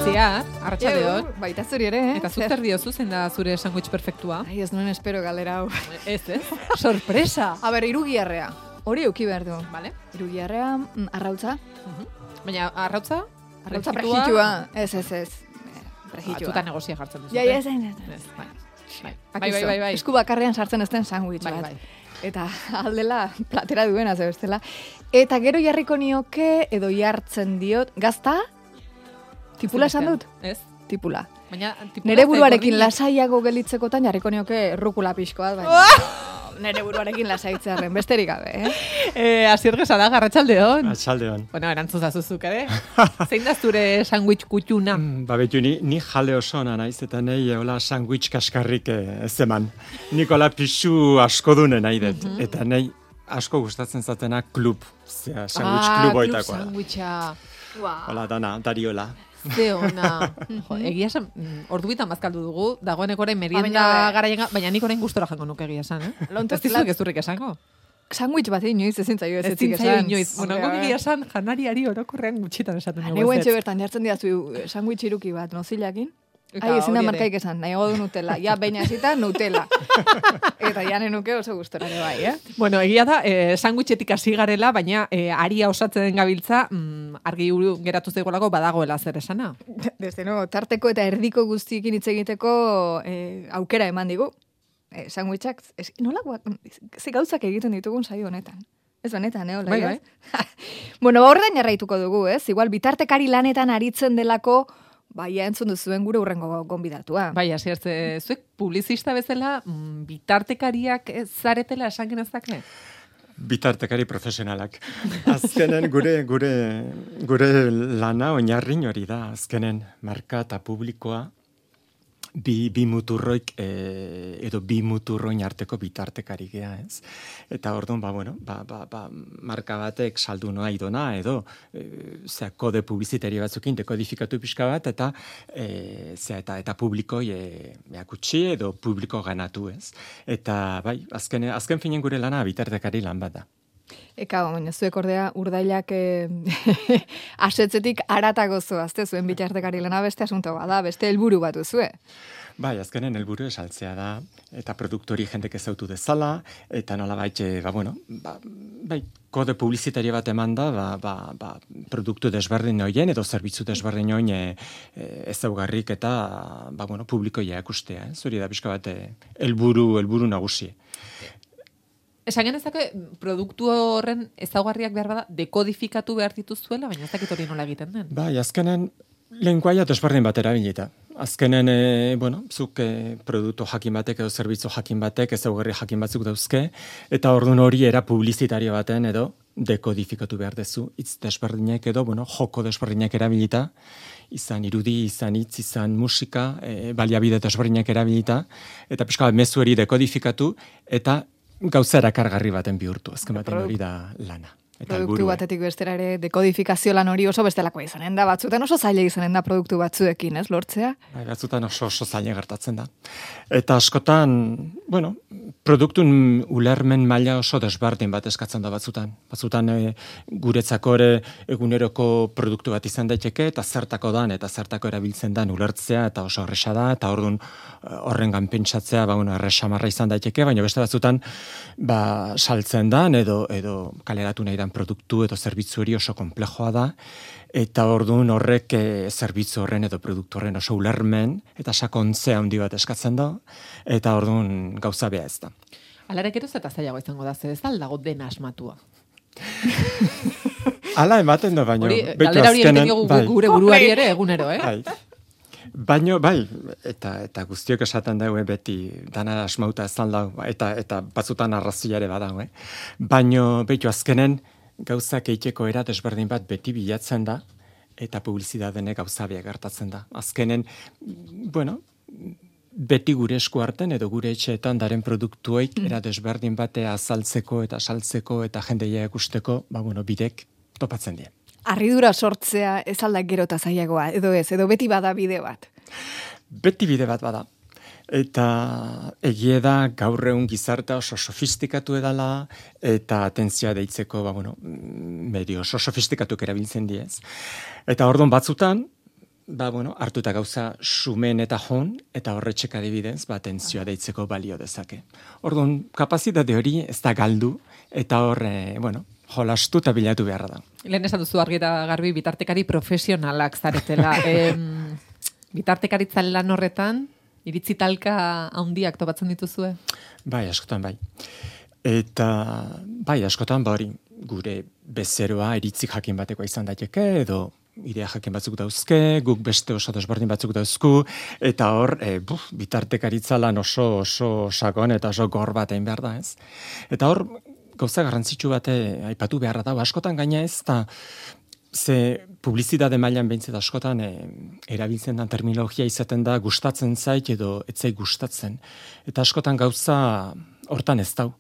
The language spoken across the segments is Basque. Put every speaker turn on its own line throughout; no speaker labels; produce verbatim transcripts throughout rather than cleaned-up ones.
Itziar, arratsaldeon.
Baita zuri ere, eh?
Eta zu zer diozu zein da zure sandwich perfektua?
Ai, ez nuen espero galera hau.
Ez, ez? Sorpresa!
A ber, irugiarrea. Hori euki behar du.
Vale.
Irugiarrea, mm, arrautza.
Uh-huh. Baina arrautza?
Arrautza prejitua. Ez, ez, ez. Prejitua.
Batzuta negozia jartzen duzu.
Ja, ja, ez, ez.
Bai. Bai,
Bai,
bai, bai, bai.
Esku bakarrean sartzen ezten sandwich
bai,
bat.
bai.
Eta aldela platera duena, ze bestela. Eta gero jarriko nioke, edo jartzen diot, gazta? Tipula esan dut?
Ez.
Tipula.
Baina, tipula
nere buruarekin lasaiago gelitzekotan jarriko nioke rukula pixkoa, baina nere buruarekin lasaitzearen, besterik gabe, eh?
Eh, Asier Gesada, arratsaldeon.
Arratsaldeon.
Bueno, erantzun zazuzuk, ere? Zein da zure sandwich kutxuna?
Mm, ba, betu, ni, ni jale oso ona naiz, eta nahi hola sandwich kaskarrik ez eman. Nikola pixu asko dune nahi dut, mm -hmm. eta nahi asko gustatzen zatena klub, zera, sandwich
ah,
klub oitakoa.
Ah, klub sandwicha.
Wow. Hola, dana, dariola.
Ze ona. Jo, egia esan, ordu bitan bazkaldu dugu, dagoeneko orain merienda garaien, baina nik orain gustora jango nuke egia esan, eh? Ez dizuek ez durrik esango.
Sandwich bat inoiz ezin zaio ez
ezin zaio inoiz. Bueno, guk egia esan janariari orokorrean gutxitan esaten dugu.
Neu entxe bertan jartzen diazu sandwich iruki bat, nozilakin. Ai, ezin da markaik esan, nahiago du Nutella. Ja, baina ezita Nutella. Eta janen nuke oso gustora ere bai, eh?
Bueno, egia da, eh, sandwichetik hasi garela, baina eh, aria osatzen den gabiltza, mm, argi geratu zaigolako badagoela zer esana.
Desde no, tarteko eta erdiko guztiekin hitz egiteko eh, aukera eman digu. Eh, sandwichak, es, nola, ze gauzak egiten ditugun saio honetan. Ez benetan, eh,
bai, bai.
Bueno, ba, horretan jarraituko dugu, ez? Igual, bitartekari lanetan aritzen delako, bai, entzun duzuen gure urrengo gonbidatua.
Bai, hasi hartze, zuek publizista bezala mm, bitartekariak zaretela esan genezake?
Bitartekari profesionalak. Azkenen gure gure gure lana oinarri hori da. Azkenen marka eta publikoa bi, bi muturroik e, edo bi muturroin arteko bitartekari gea, ez? Eta orduan, ba, bueno, ba, ba, ba, marka batek saldu noa idona, edo e, zea, kode publizitari batzukin dekodifikatu pixka bat, eta e, zea, eta, eta publikoi e, eakutsi edo publiko ganatu, ez? Eta, bai, azken, azken finen gure lana bitartekari lan bat da.
Eka, baina zuek ordea urdailak eh, asetzetik aratago zoazte zuen bitartekari lana beste asunto bada, beste helburu bat duzue.
Bai, azkenen helburu esaltzea da, eta produktori jendek ezautu dezala, eta nola baitxe, ba, bueno, ba, bai, kode publizitaria bat eman da, ba, ba, ba, produktu desberdin hoien, edo zerbitzu desberdin hoien e, e, ezaugarrik eta, ba, bueno, publikoia ikustea, eh? Zuri da pixka bat helburu, helburu nagusi.
Esan genezake, produktu horren ezaugarriak behar bada, dekodifikatu behar dituzuela, baina ez dakit hori nola egiten den.
Bai, azkenen, lenguaia desberdin bat erabilita. Azkenen, e, bueno, zuk e, produktu jakin batek edo zerbitzu jakin batek, ezaugarri jakin batzuk dauzke, eta orduan hori era publizitario baten edo dekodifikatu behar dezu, hitz desberdinak edo, bueno, joko desberdinak erabilita, izan irudi, izan hitz, izan musika, e, baliabide desberdinak erabilita, eta pixka bat mezu hori dekodifikatu, eta gauza erakargarri baten bihurtu, azken baten hori da lana. Eta
produktu batetik bestera ere dekodifikazio lan hori oso bestelakoa izanen da, batzutan oso zaila izanen da produktu batzuekin, ez, lortzea?
Bai, batzutan oso oso zaila gertatzen da. Eta askotan, bueno, produktun ulermen maila oso desberdin bat eskatzen da batzutan. Batzutan e, guretzako ere eguneroko produktu bat izan daiteke, eta zertako dan, eta zertako erabiltzen dan ulertzea, eta oso horresa da, eta orduan horrengan pentsatzea, ba, bueno, erresamarra izan daiteke, baina beste batzutan, ba, saltzen dan, edo, edo kaleratu nahi dan produktu edo zerbitzu hori oso komplejoa da, eta orduan horrek e, zerbitzu horren edo produktu horren oso ulermen, eta sakontzea handi bat eskatzen da, eta orduan gauza bea ez da.
Alarek eroz eta zailago izango da, zer ez dago dena asmatua.
Hala ematen da, baino.
Hori, galdera hori egiten diogu
bai.
Gure buruari ere egunero, eh?
Bai. Baino, bai, eta eta guztiok esaten daue beti dana asmauta ezan da, eta eta batzutan arrazia ere badago, eh? Baino, behitu azkenen, gauzak eiteko era desberdin bat beti bilatzen da, eta publizidadene gauza biak gertatzen da. Azkenen, bueno, beti gure esku harten edo gure etxeetan daren produktueik era desberdin batea azaltzeko eta saltzeko eta jendeia ikusteko, ba, bueno, bidek topatzen die.
Harridura sortzea ez aldak gero eta zailagoa, edo ez, edo beti bada bide bat.
Beti bide bat bada. Eta egie da gaur egun gizartea oso sofistikatu edala, eta atentzia deitzeko, ba, bueno, medio oso sofistikatuk erabiltzen diez. Eta orduan batzutan, ba, bueno, hartuta gauza sumen eta jon, eta horretxek adibidez, ba, tentzioa deitzeko balio dezake. Orduan, kapazitate hori ez da galdu, eta hor, e, bueno, jolastu eta bilatu beharra da.
Lehen esan duzu argi eta garbi bitartekari profesionalak zaretela. em, bitartekaritza lan horretan, iritzi talka handiak topatzen dituzue?
Bai, askotan bai. Eta, bai, askotan, ba hori, gure bezeroa iritzi jakin batekoa izan daiteke, edo idea jakin batzuk dauzke, guk beste oso desberdin batzuk dauzku, eta hor, e, buf, bitartekaritza lan oso, oso sakon eta oso gor bat egin behar da, ez? Eta hor, gauza garrantzitsu bate aipatu beharra da, askotan gaina ez, eta ze publizitate mailan behintzat askotan e, erabiltzen den terminologia izaten da gustatzen zait edo etzai gustatzen. Eta askotan gauza hortan ez dau.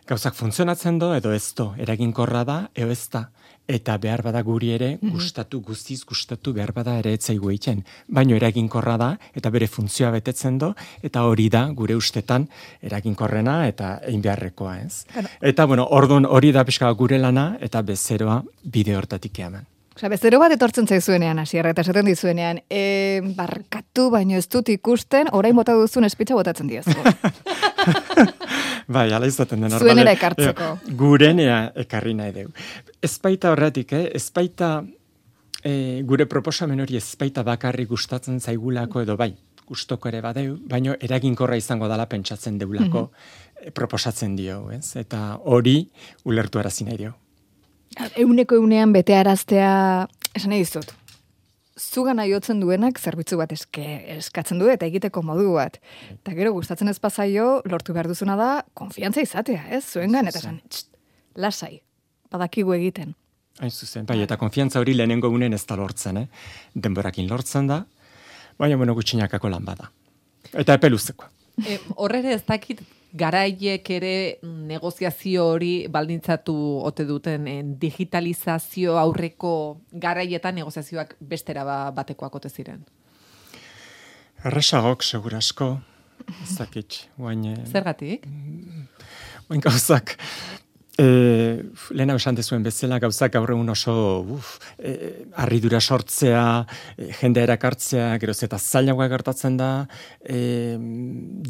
Gauzak funtzionatzen do edo ez do, eraginkorra da edo ez da. Eta behar bada guri ere, gustatu, guztiz gustatu behar bada ere etzaigu egiten. Baino eraginkorra da, eta bere funtzioa betetzen do, eta hori da gure ustetan eraginkorrena eta egin beharrekoa, ez? Claro. Eta, bueno, orduan hori da pixka gure lana, eta bezeroa bide hortatik eman.
Osea, bezero bat etortzen zaizuenean, hasierra eta esaten dizuenean, e, barkatu baino ez dut ikusten, orain bota duzun espitza botatzen diozu.
Bai, ala izaten den.
Zuenera ekartzeko.
Gurenea ekarri nahi dugu. Ezpaita horretik, eh? Ezpaita e, gure proposamen hori ezpaita bakarri gustatzen zaigulako edo bai, gustoko ere badeu, baino eraginkorra izango dala pentsatzen deulako mm-hmm. proposatzen dio, ez? Eta hori ulertu arazi nahi dio.
Euneko eunean betearaztea, esan nahi dizut, zugan aiotzen duenak zerbitzu bat eske, eskatzen du eta egiteko modu bat. Eta gero gustatzen ez pasaio, lortu behar duzuna da, konfiantza izatea, ez? Zuengan, eta esan, txt, lasai, badakigu egiten.
Hain zuzen, bai, eta konfiantza hori lehenengo unen ez da lortzen, eh? Denborakin lortzen da, baina bueno gutxinakako lan bada. Eta epe luzeko.
E, horrere ez dakit garaiek ere negoziazio hori baldintzatu ote duten en, digitalizazio aurreko garaietan negoziazioak bestera ba, batekoak ote ziren.
Erresagok segurasko, ez dakit. Guain,
zergatik?
Guain gauzak, e, lehena esan dezuen bezala, gauzak gaur egun oso uf, e, harridura sortzea, e, jendea erakartzea, geroz eta zailagoa gertatzen da, e,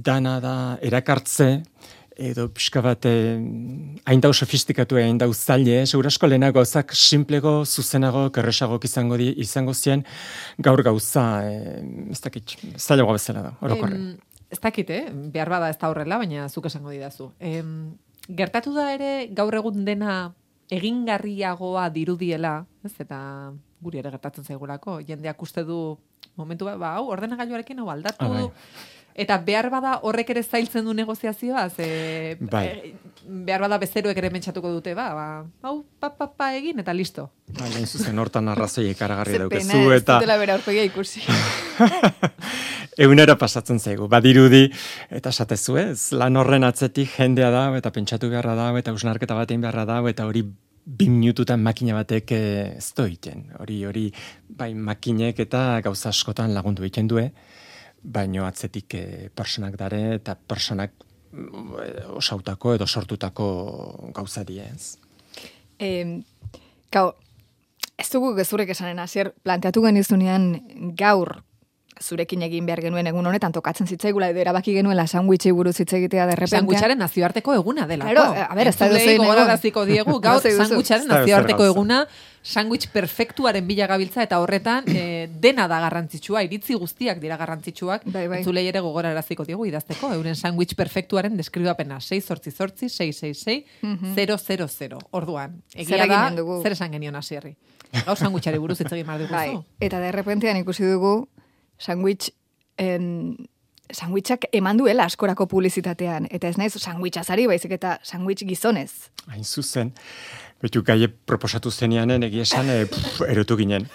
dana da erakartze, edo pixka bat hain dau sofistikatu hain dau zaile, segurasko lehena gauzak simplego, zuzenago, kerresagok izango di, izango zien, gaur gauza, e, ez dakit, zailagoa bezala da, orokorren.
Ez dakit, eh? Behar bada ez da horrela, baina zuk esango didazu. Em, gertatu da ere, gaur egun dena egingarriagoa dirudiela, ez? Eta guri ere gertatzen zaigulako, jendeak uste du momentu ba, ba hau, ordenagailuarekin hau aldatu, ah, bai. Eta behar bada horrek ere zailtzen du negoziazioa, ze
bai.
e, behar bada bezeroek ere mentsatuko dute, ba, ba hau, pa, pa, pa egin, eta listo.
Bai, hain zuzen hortan arrazoi ekaragarri daukezu,
eta... Ze pena, ez dutela bera aurpegia ikusi.
Egunera pasatzen zaigu, badirudi, eta esatezu ez, lan horren atzetik jendea da, eta pentsatu beharra da, eta usnarketa batein beharra da, eta hori bi minututan makina batek ez doiten. Hori, hori, bai, makinek eta gauza askotan lagundu egiten due, baino atzetik e, personak dare eta personak e, osautako edo sortutako gauza diez.
Eh, gau, ez dugu gezurek esanen hasier planteatu genizunean gaur zurekin egin behar genuen egun honetan tokatzen zitzaigula edo erabaki genuela sandwichei buruz hitz egitea derrepentean.
Sandwicharen nazioarteko eguna delako.
Claro, a ver, ez da dozein
gogoraraziko diegu, gaur sandwicharen nazioarteko eguna, sandwich perfektuaren bila gabiltza eta horretan e, dena da garrantzitsua, iritzi guztiak dira garrantzitsuak. Bai, bai. Entzulei ere gogoraraziko diegu idazteko, euren sandwich perfektuaren deskribapena sei zortzi zortzi sei sei sei zero zero zero. Orduan, egia da, zer esan genion hasierri. Gaur sandwichari buruz hitz egin behar dugu.
Bai, eta derrepentean ikusi dugu sandwich en sandwichak eman duela askorako publizitatean eta ez naiz sandwichazari baizik eta sandwich gizonez.
Hain zuzen. Betu gaie proposatu zeneanen egia esan e, pff, erotu ginen.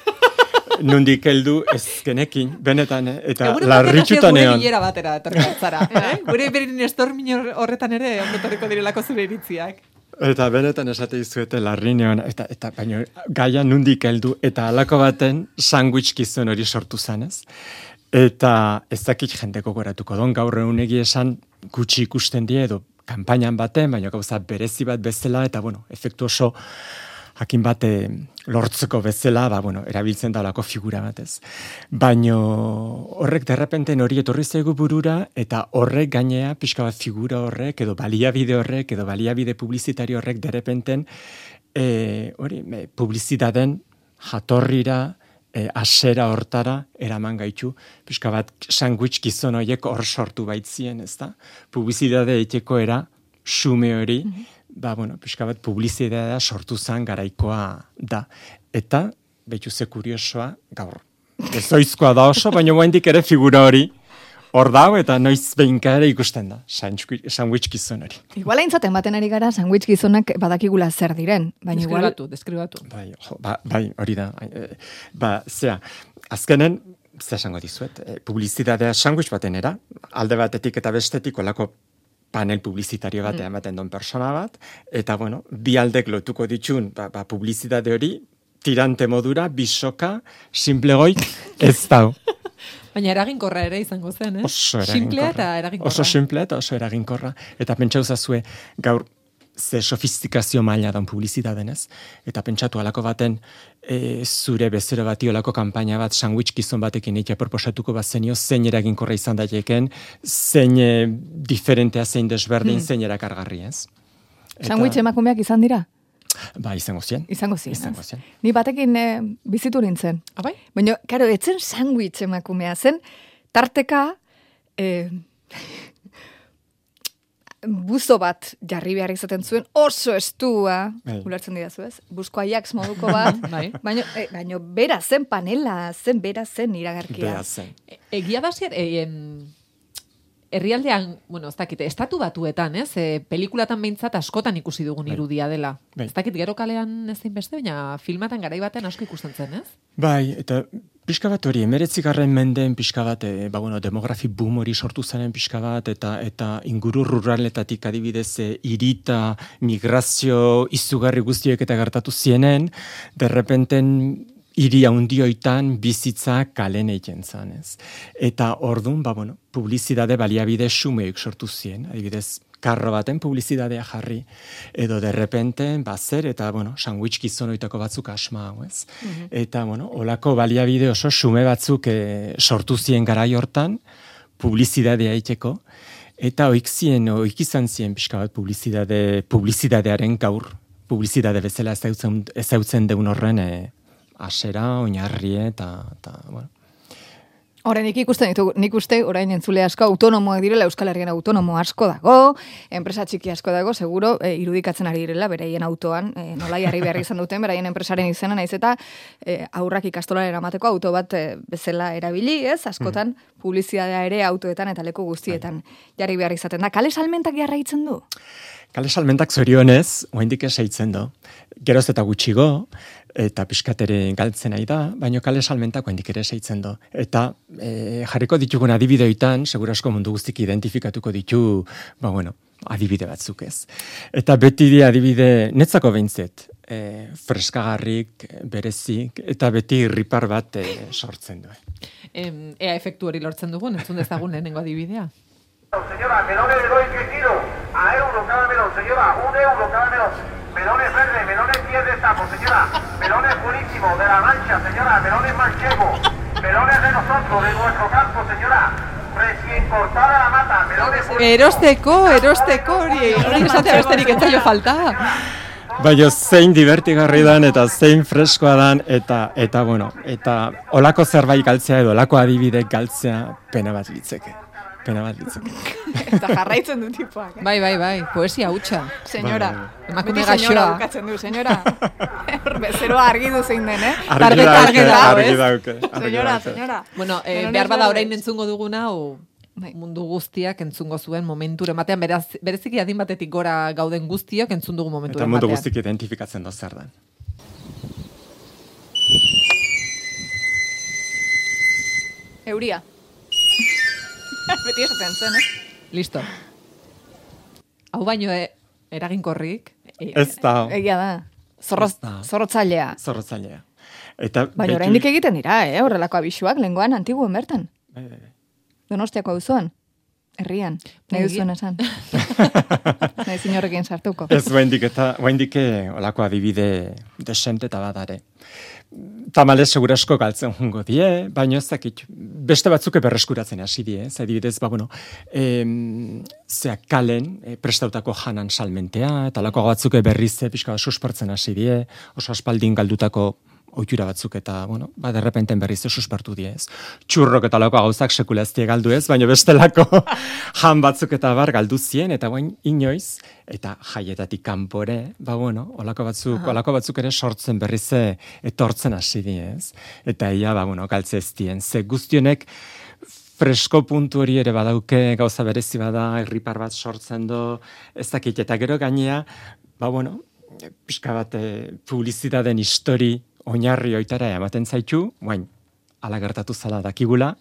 Nundik heldu ezkenekin, benetan, eta larritxutan egon.
Gure bilera batera etorkatzara. eh? Gure berin estormin horretan ere ondotorriko direlako zure iritziak.
Eta benetan esate dizuete larrinean, eta, eta baina gaia nundik heldu, eta halako baten sandwich gizon hori sortu zanez. Eta ez dakit jendeko goratuko don, gaur egun egia esan gutxi ikusten die edo kanpainan baten, baina gauza berezi bat bezala, eta bueno, efektu oso jakin bate lortzeko bezala, ba, bueno, erabiltzen da olako figura batez. Baino horrek derrepenten hori etorri zaigu burura, eta horrek gainea, pixka bat figura horrek, edo baliabide horrek, edo baliabide publizitario horrek derrepenten, e, hori, e, publizitaten jatorrira, e, asera hortara, eraman gaitu, pixka bat sandwich gizon horiek hor sortu baitzien, ez da? Publizitate eiteko era, xume hori, mm-hmm. ba, bueno, pixka bat publizitatea sortu zen garaikoa da. Eta, behitu ze kuriosoa, gaur. Ez oizkoa da oso, baina guaindik ere figura hori hor dago eta noiz behinka ere ikusten da, sandwich gizon hori.
Igual haintzaten baten ari gara, sandwich gizonak badakigula zer diren. Baina
deskribatu, deskribatu.
Bai, jo, ba, bai, hori da. Ba, zera, azkenen, zer esango dizuet, publizitatea sandwich baten era, alde batetik eta bestetik olako panel publizitario batean mm. ematen don persona bat, eta bueno, bi aldek lotuko ditxun, ba, ba, publizitate hori, tirante modura, bisoka, simplegoik, ez dau.
Baina eraginkorra ere izango zen, eh?
Oso eraginkorra.
Simplea eta eraginkorra.
Oso simplea eta oso eraginkorra. Eta pentsa uzazue, gaur, ze sofistikazio maila dan publizitaten ez, eta pentsatu alako baten, e, zure bezero bati olako kanpaina bat, sandwich gizon batekin eitea proposatuko bat zenio, zein eraginkorra izan daiteken, zein e, diferentea, zein desberdin, hmm. zein erakargarri ez.
Eta... Sandwich emakumeak izan dira?
Ba, izango zien.
Izango zien.
Izango zien.
Ni batekin e, bizitu nintzen.
Abai?
Baina, karo, etzen sandwich emakumea zen, tarteka, e, buzo bat jarri behar izaten zuen, oso estua, bai. Ulertzen didazu ez, buzko Ajax moduko bat, bai. baina, e, baina bera zen panela, zen bera zen iragarkia.
Bera zen.
E, egia da zer, e, herrialdean, bueno, ez dakit, estatu batuetan, ez, e, pelikulatan behintzat askotan ikusi dugun bai. Irudia dela. Bai. Ez dakit, gero kalean ez zein beste, baina filmatan garai baten asko ikusten zen, ez?
Bai, eta pixka bat hori, emeretzigarren mendeen pixka bat, e, ba, bueno, demografi boom hori sortu zaren pixka bat, eta eta inguru ruraletatik adibidez e, irita, migrazio, izugarri guztiek eta gertatu zienen, derrepenten hiri handioitan bizitza kalen egiten zan, ez. Eta ordun, ba, bueno, publizitate baliabide xumeik sortu zien, adibidez, karro baten publizitatea jarri, edo derrepenten, ba, zer, eta, bueno, sandwich gizonoitako batzuk asma hau, ez. Mm-hmm. Eta, bueno, olako baliabide oso xume batzuk e, sortu zien garai hortan, publizitatea eiteko, eta oik zien, oik izan zien pixka bat publizitate, publizitatearen gaur, publizitate bezala ezautzen, ezautzen deun horren, e, asera, oinarrie, eta, eta, bueno.
Horren, nik ikusten ditu, nik uste, orain entzule asko autonomoak direla, Euskal Herrian autonomo asko dago, enpresa txiki asko dago, seguro, e, irudikatzen ari direla, beraien autoan, e, nola jarri behar izan duten, beraien enpresaren izena, naiz eta e, aurrak ikastolaren amateko auto bat e, bezala erabili, ez, askotan, mm. publizitatea ere autoetan eta leku guztietan jarri behar izaten da. Kale salmentak jarraitzen du?
Kale salmentak zorionez, oaindik esaitzen du. Geroz eta gutxigo, eta pixkatere galtzen nahi da, baina kale salmentak oaindik ere esaitzen du. Eta e, jarriko ditugun adibideoitan, segura asko mundu guztik identifikatuko ditu, ba bueno, adibide batzuk ez. Eta beti di adibide, netzako behintzet, e, freskagarrik, berezik, eta beti irripar bat e, sortzen du.
Em, ea efektu hori lortzen dugun, entzun dezagun lehenengo adibidea.
Señora, melones le doy que kilo, a euro cada melón, señora, un euro cada melón. Melones verdes, melones diez de sapo, señora. Melones buenísimo, de la Mancha, señora. Melones manchego. Melones de nosotros, de nuestro campo, señora. Recién cortada la mata. Melones buenísimo.
Erosteko, erosteko, hori, hori esatea besterik ez zaio falta.
Baina zein divertigarri dan, eta zein freskoa dan, eta, eta bueno, eta olako zerbait galtzea edo olako adibide galtzea pena bat litzeke. Pena bat litzeke.
Eta jarraitzen du tipuak.
Eh? Bai, bai, bai, poesia hutsa.
Senyora,
emakume gaixoa.
Bukatzen du, senyora. Bezeroa argi du zein den, eh?
Argi dauke, argi dauke.
Senyora, senyora.
Bueno, eh, behar bada orain entzungo duguna, o mundu guztiak entzungo zuen momentur ematean, beraz, bereziki adin batetik gora gauden guztiok entzun dugu momentur ematean.
Eta mundu guztik identifikatzen doz zer den.
Euria. Beti esaten zen, eh?
Listo. Hau baino e, eraginkorrik.
E, ez da.
Egia da. Zorroz, zorrotzailea.
Zorrotzailea. Eta
baina oraindik egiten dira, eh? Horrelako abisuak, lengoan antiguen bertan.
Bai, bai, bai.
Donostiako auzoan. Herrian. Nahi duzuen esan. Nahi zinorrekin sartuko.
Ez, guaindik eta, guaindik olako adibide desente eta badare. Tamales segurasko galtzen jungo die, baina ez dakit, beste batzuk berreskuratzen hasi die, ez adibidez, ba, bueno, em, zeak kalen, e, prestautako janan salmentea, eta lako batzuk berriz pixka suspertzen hasi die, oso aspaldin galdutako ohitura batzuk eta, bueno, ba, derrepenten berriz suspertu die, ez. Txurrok eta lako gauzak sekula ez die galdu ez, baina bestelako jan batzuk eta bar galdu zien, eta bain inoiz, eta jaietatik kanpore, ba, bueno, olako batzuk, olako batzuk ere sortzen berriz etortzen hasi die, ez. Eta ia, ba, bueno, galtze ez dien, ze guztionek fresko puntu hori ere badauke, gauza berezi bada, irripar bat sortzen do, ez dakit, eta gero gainea, ba, bueno, pixka bat publizitateen histori oinarri oitara ematen zaitu, guain, ala gertatu zala dakigula,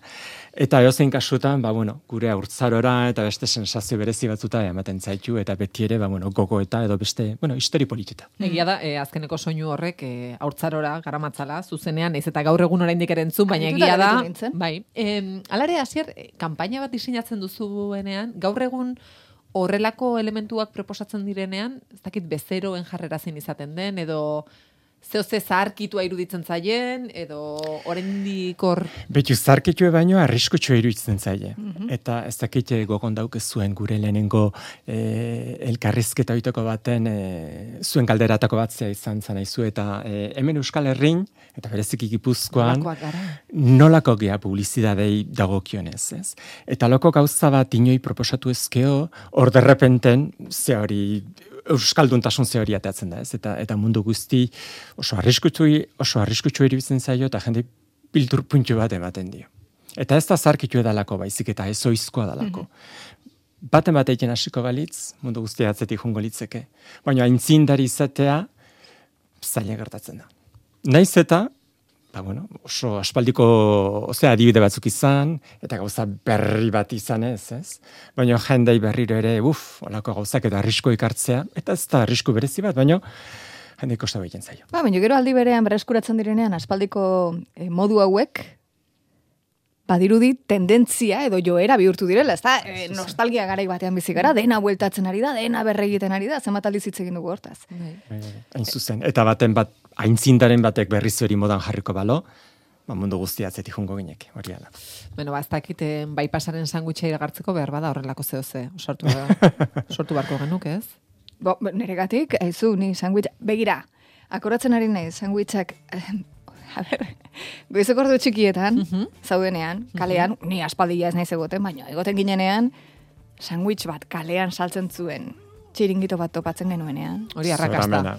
eta eozein kasutan, ba, bueno, gure haurtzarora eta beste sensazio berezi batzuta ematen zaitu, eta beti ere, ba, bueno, gogo eta edo beste, bueno, histori politeta.
Egia da, eh, azkeneko soinu horrek eh, haurtzarora garamatzala, zuzenean, ez eta gaur egun oraindik ere entzun, baina egia da, bai, eh, alare hasier, kanpaina bat diseinatzen duzuenean, gaur egun horrelako elementuak proposatzen direnean, ez dakit bezeroen jarrera zein izaten den, edo zeo ze zaharkitua iruditzen zaien, edo oraindik hor...
Betu, zaharkitue baino arriskutxua iruditzen zaie. Mm-hmm. Eta ez dakite gogon dauke zuen gure lehenengo e, elkarrizketa oiteko baten e, zuen galderatako batzea izan zanaizu, eta e, hemen Euskal Herrin, eta bereziki Gipuzkoan, nolako gea publizidadei dagokionez, ez? Eta loko gauza bat inoi proposatu ezkeo, hor derrepenten, ze hori... Euskalduntasun ze hori ateatzen da, ez? Eta, eta mundu guzti oso arriskutsu oso arriskutsu iruditzen zaio eta jende bildur puntu bat ematen dio. Eta ez da zarkitu edalako baizik eta ez oizkoa dalako. Mm-hmm. Baten bat egiten hasiko balitz, mundu guztia atzetik jungo litzeke. Baina aintzindari izatea zaila gertatzen da. Naiz eta, ba, bueno, oso aspaldiko, osea, adibide batzuk izan, eta gauza berri bat izan ez, ez? Baina jendei berriro ere, uf, olako gauzak eta arrisko ikartzea, eta ez da arrisku berezi bat, baina jendei kosta behiten zaio.
Ba, baina gero aldi berean berreskuratzen direnean, aspaldiko eh, modu hauek, badirudi tendentzia edo joera bihurtu direla, ez da, e, nostalgia garai batean bizi gara, dena bueltatzen ari da, dena berregiten ari da, zenbat aldiz hitz egin dugu hortaz.
Hain zuzen, eta baten bat, aintzindaren batek berriz hori modan jarriko balo, ba, mundu guztia atzetik jungo ginek, hori ala.
Bueno, ba, ez dakiten bai pasaren sandwicha iragartzeko behar bada horrelako zehose, sortu, sortu barko genuk, ez?
Bo, neregatik, aizu, ni sandwich, begira, akoratzen ari nahi, sandwichak... A ber, goizeko ordu txikietan, uh-huh. zaudenean, kalean, uh-huh. ni aspaldia ez naiz egoten, baina egoten ginenean, sandwich bat kalean saltzen zuen, txiringito bat topatzen genuenean.
Hori arrakasta.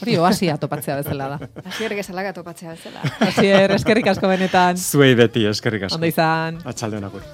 Hori oasia topatzea bezala da.
Asier gezalaga topatzea bezala.
Asier, eskerrik asko benetan.
Zuei beti, eskerrik asko.
Ondo izan.
Atxaldeon agur.